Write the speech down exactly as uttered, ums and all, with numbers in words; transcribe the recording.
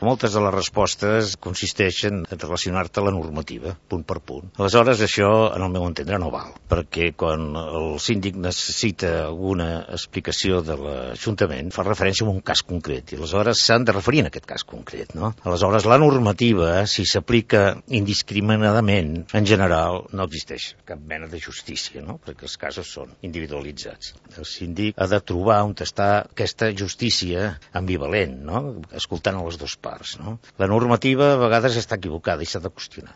Moltes de les respostes consisteixen en relacionar-te a la normativa, punt per punt. Aleshores, això, en el meu entendre, no val, perquè quan el síndic necessita alguna explicació de l'Ajuntament, fa referència a un cas concret, i aleshores s'han de referir en aquest cas concret, no? Aleshores, la normativa, si s'aplica indiscriminadament, en general, no existeix cap mena de justícia, no? Perquè els casos són individualitzats. El síndic ha de trobar on està aquesta justícia ambivalent, no? Escoltant a les dues parts, no? La normativa a vegades està equivocada i s'ha de qüestionar.